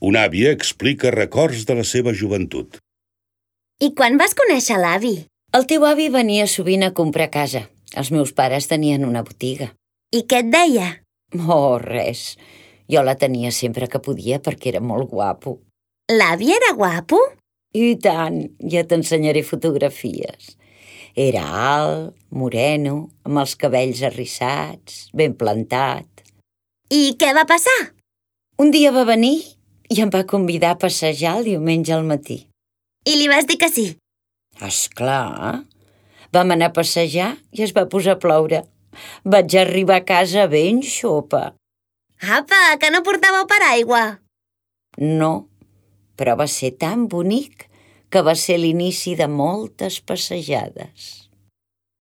Una àvia explica records de la seva joventut. I quan vas conèixer l'avi? El teu avi venia sovint a comprar a casa. Els meus pares tenien una botiga. I què et deia? Oh, res. Jo la tenia sempre que podia perquè era molt guapo. L'avi era guapo? I tant, ja t'ensenyaré fotografies. Era alt, moreno, amb els cabells arrissats, ben plantat. I què va passar? Un dia va venir i em va convidar a passejar el diumenge al matí. I li vas dir que sí? Esclar. Vam anar a passejar i es va posar a ploure. Vaig arribar a casa ben xopa. Apa, que no portàveu paraigua? No, però va ser tan bonic que va ser l'inici de moltes passejades.